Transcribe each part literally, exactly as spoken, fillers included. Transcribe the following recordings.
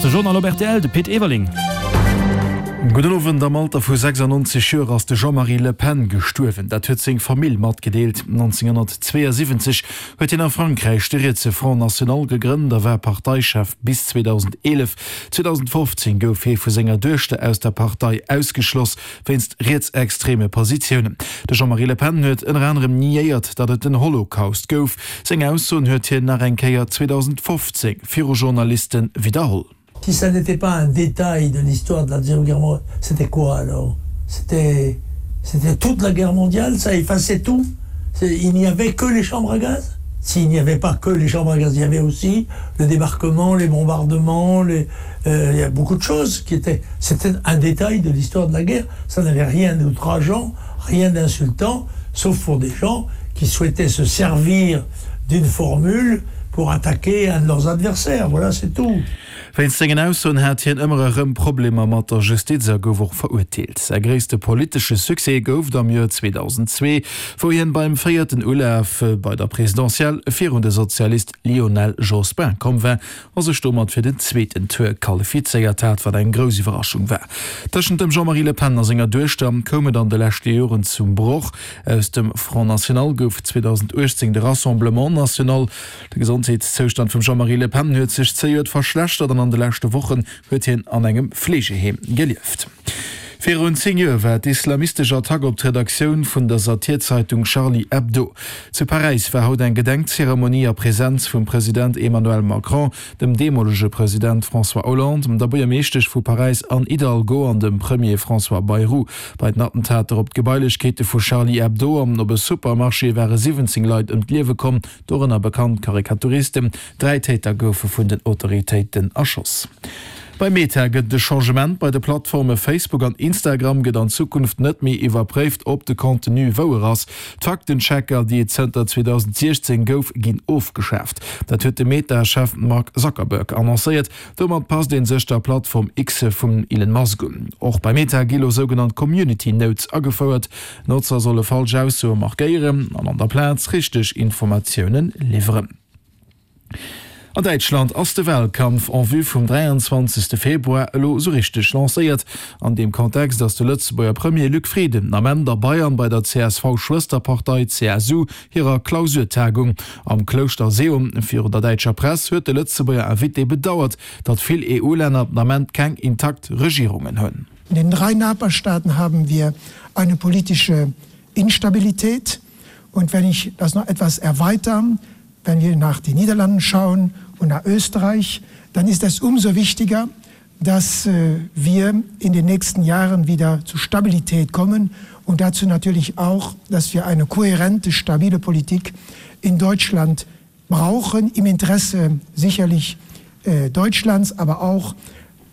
ass de Journal op rtl, de Pit Everling. Gudden Owend, Am Alter vu sechsannonzeg Joer ass de Jean-Marie Le Pen gestuerwen. Dat huet seng Famill matgedeelt. nonzénghonnertzweeënsiwwenzeg huet hien a Frankräich de rietse Front National gegrënnt a war Parteichef bis zweedausendeelef. zweedausendfofzéng gouf hie vu senger Duechter aus der Partei ausgeschloss, wéinst rietsextreme Positiounen. De Jean-Marie Le Pen huet ënner anerem niéiert, datt et den Holocaust gouf. Seng Aussoen huet hien nach eng Kéier zweedausendfofzéng viru Journaliste widderholl. Si ça n'était pas un détail de l'histoire de la deuxième guerre mondiale, c'était quoi alors? C'était c'était toute la guerre mondiale, ça effaçait tout? Il n'y avait que les chambres à gaz? S'il n'y avait pas que les chambres à gaz, il y avait aussi le débarquement, les bombardements, les, euh, il y a beaucoup de choses qui étaient, c'était un détail de l'histoire de la guerre, ça n'avait rien d'outrageant, rien d'insultant, sauf pour des gens qui souhaitaient se servir d'une formule pour attaquer un de leurs adversaires, voilà c'est tout. Wéinst sengen Aussoen hat hien ëmmer erëm Problemer mat der Justiz a gouf och verurteelt. Säi gréisste politesche Succès gouf et am Joer zweedausendzwee, wou hien beim véierten Ulaf bei der Presidentielle virun de Sozialist Lionel Jospin komm war a sech domat fir den zweeten Tour qualifizéiert hat, wat eng grouss Iwwerraschung war. Tëschent dem Jean-Marie Le Pen a senger Duechter koum et an de leschte Joren zum Broch. Aus dem Front National gouf zweedausenduechtzéng de Rassemblement National. De Gesondheetszoustand vum Jean-Marie Le Pen huet sech zejoert verschlechtert an an de leschte Wochen huet hien an engem Fleegeheem gelieft. Virun zéng Joer war d'islamistesch Attack op d'Redaktioun vun der Satirzeitung Charlie Hebdo. Zu Paräis war haut eng Gedenkzeremonie a Presenz vum President Emmanuel Macron, dem deemolege President François Hollande, der Buergermeeschtesch vu Paräis Anne Hidalgo an dem Premier François Bayrou. Bei den Attentater op d'Gebailechkeete vu Charlie Hebdo an op e Supermarché ware siwwenzéng Leit ëm d'Liewe komm, dorënner bekannt Karikaturisten. Dräi Täter goufe vun den Autoritéiten erschoss. Bei Meta gëtt et e Changement, Bei de Plattforme Facebook an Instagram gëtt an Zukunft net méi iwwerpréift, ob de Contenu wouer ass. D'Faktenchecker, déi et zënter zweedausentsiechzéng gouf, ginn ofgeschaaft. Dat huet de Meta-Chef Mark Zuckerberg annoncéiert. Domat passt ee sech der Plattform X vum Elon Musk un. Och bei Meta gi lo sougenannt Community Notes agefouert. Notzer solle falsch Aussoe markéieren an an der Plaz richteg Informatioune liwweren. An Däitschland ass de Walkampf en vue vum dräianzwanzegste Februar elo esou richteg lancéiert. An deem Kontext ass de Lëtzebuerger Premier Luc Frieden den Ament a Bayern bei der C S V-Schwësterpartei C S U hirer Klausurtagung am Klouschter Seeon. Virun der däitscher Press huet de Lëtzebuerger Invité bedauert, datt vill E U-Länner den Ament keng intakt Regierungen hunn. In den drei Nachbarstaaten haben wir eine politische Instabilität. Und wenn ich das noch etwas erweitern, wenn wir nach den Niederlanden schauen und nach Österreich, dann ist es umso wichtiger, dass äh, wir in den nächsten Jahren wieder zu Stabilität kommen und dazu natürlich auch, dass wir eine kohärente, stabile Politik in Deutschland brauchen, im Interesse sicherlich äh, Deutschlands, aber auch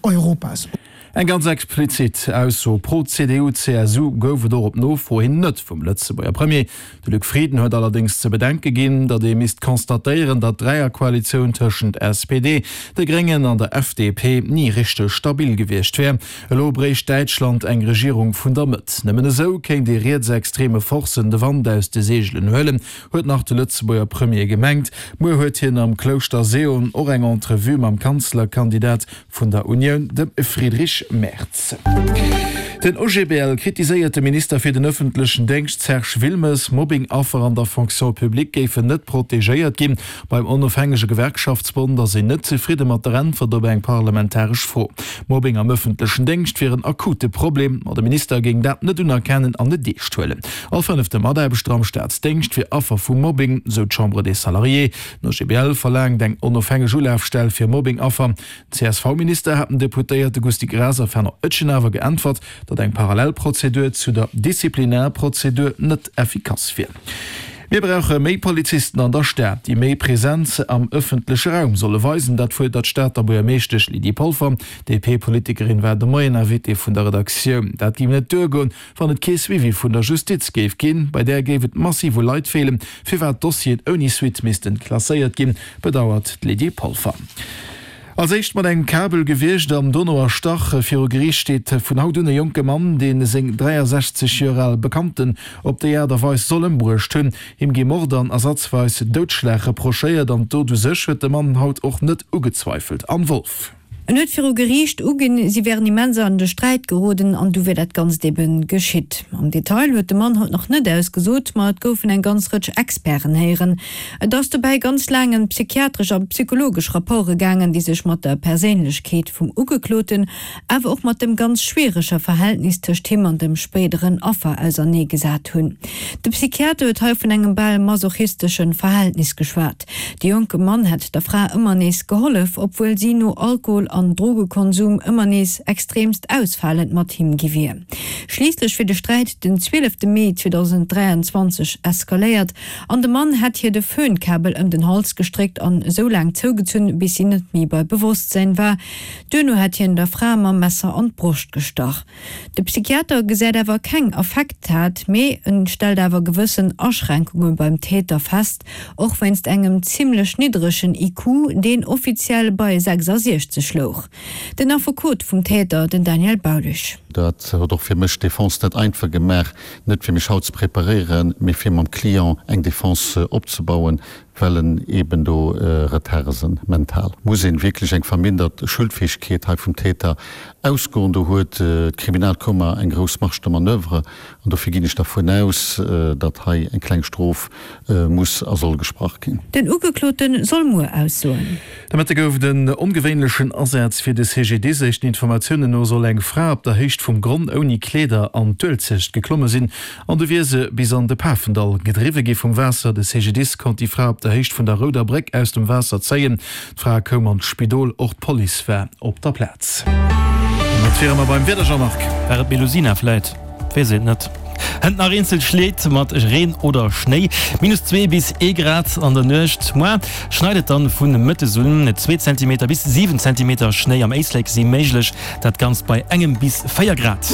Europas. Eng ganz explizit Ausso pro C D U C S U gouf et och op Nofro hin net vum Lëtzebuerger Premier. De Luc Frieden huet allerdéngs ze bedenke ginn, datt ee misst constatéieren, datt d'Dräierkoalitioun tëschent S P D, de Gréngen an der F D P ni richteg stabil gewiescht wär. Elo bréicht Däitschland eng Regierung vun der Mëtt. Nëmmen esou kéint ee rietsextreme Forcen de Wand aus de Seegelen huelen, huet nach de Lëtzebuerger Premier gemengt. Muer huet hien am Klouschter Seeon och eng Entrevue mam Kanzlerkandidat vun der Unioun, dem Friedrich Merz. Den O G B L kritiséiert de Minister fir den ëffentlechen Déngscht Serge Wilmes. Mobbing-Affer an der Fonction publique géifen net protegéiert ginn. Beim onofhängege Gewerkschaftsbond ass een net zefridde mat der Äntwert op eng parlamentaresch Fro. Mobbing am ëffentlechen Déngscht wier en akute Problem, ma de Minister géing dat net unerkennen an net eescht huelen. All fënnefte Mataarbechter am Staatsdéngscht wier Affer vu Mobbing, sou d'Chambre des Salariés. Den O G B L verlaangt eng onofhängeg Ulafstell fir Mobbing-Affer. C S V-Minister hat den Deputéierte Gusty Graas a Fernand Etgen awer geäntwert, datt eng Parallelprozedur zu der Disziplinarprozedur net effikass wier. Mir brauche méi Polizisten an der Stad, déi méi Presenz am ëffentleche Raum solle weisen. Dat fuerdert d'Stater Buergermeeschtesch Lydie Polfer. D'D P-Politikerin war de Moien Invitée vun der Redaktioun. Dat géif net duergoen, wann et kee Suivi vun der Justiz géif ginn. Bei där géif et massiv u Leit feelen, firwat Dossieren ouni Suite missten klasséiert ginn, bedauert d'Lydie Polfer. Als éischt mat engem Kabel gewiergt an dono erstach. Viru Geriicht steet vun haut un e jonke Mann, dee seng dräiasechzeg Joer al Bekannten op déi Aart a Weis soll ëmbruecht hunn. Him gi Mord an ersatzweis Doudschlag reprochéiert an d'Dot u sech huet de Mann haut och net ugezweifelt. Anne Wolff. En huet viru Geriicht uginn, si wären immens an de Sträit geroden an du wier dat Ganzt eben geschitt. Am Detail huet de Mann haut nach net ausgesot, ma et goufen eng ganz Rëtsch Experten héieren. Et ass dobäi ganz laang ëm psychiatresch a psychologesch Rapporte gaangen, déi sech mat der Perséinlechkeet vum Ugekloten, awer och mat dem ganz schwierege Verhältnis tëscht him an dem spéideren Affer auserneegesat hunn. De Psychiater huet hei vun engem bal masochistesche Verhältnis geschwat. De jonke Mann hätt der Fra ëmmer nees gehollef, obwuel si no Alkohol an Drogekonsum ëmmer nees extreemst ausfalend mat him gi wier. Schliisslech wier de Sträit den zwielefte Mee zweedausenddräianzwanzeg eskaléiert an de Mann hätt hir de Föhnkabel ëm den Hals gestréckt an esou laang zougezunn, bis si net méi bei Bewosstsäin war. Duerno hätt hien der Fra mam Messer an d'Broscht gestach. De Psychiater gesäit awer keng Affekttat, mee en stellt awer gewëssen Aschränkunge beim Täter fest, och wéinst engem zimmlech niddregen I Q, deen offiziell bei sechsasiechzeg louch. Den Affekot vum Täter, den Daniel Baulisch. Dat huet och fir mech d'Defense net einfach gemaach, net fir mech haut ze preparéieren, mee fir mam Client eng Defense opzebauen, well en eben do Retarde sinn mental. Muss een wierklech eng vermindert Schuldfäegkeet hei vum Täter ausgoen? Do huet d'Kriminalkummer eng grouss Marge de manoeuvre an dofir ginn ech dervun aus, datt hei eng kleng Strof muss a soll gesprach ginn. Den Ugeklote soll muer aussoen. De Mëtte gouf et en ongewéinlechen Asaz fir de C G D I S. Éischten Informatiounen no soll eng Fra op der Héicht vum Gronn ouni Kleeder an d'Uelzecht geklomme sinn an du wier se bis an de Pafendall gedriwwe gi vum Waasser. De C G D I S konnt déi Fra op der Héicht vun der Rouder Bréck aus dem Waasser zéien. D'Fra koum an d'Spidol, och d'Police war op der Plaz. Mat wiere mer beim Wieder, Jean-Marc. War et d'Melusina vläit? Weess et net. Hënt nach eenzel Schleed mat Reen oder Schnéi, minus zwee bis ee Grad an der Nuecht. Muer schneit et dann vun mëttes un, zwee Zentimeter bis siwen Zentimeter Schnéi am Éislek si méiglech, dat Ganzt bei engem bis véier Grad.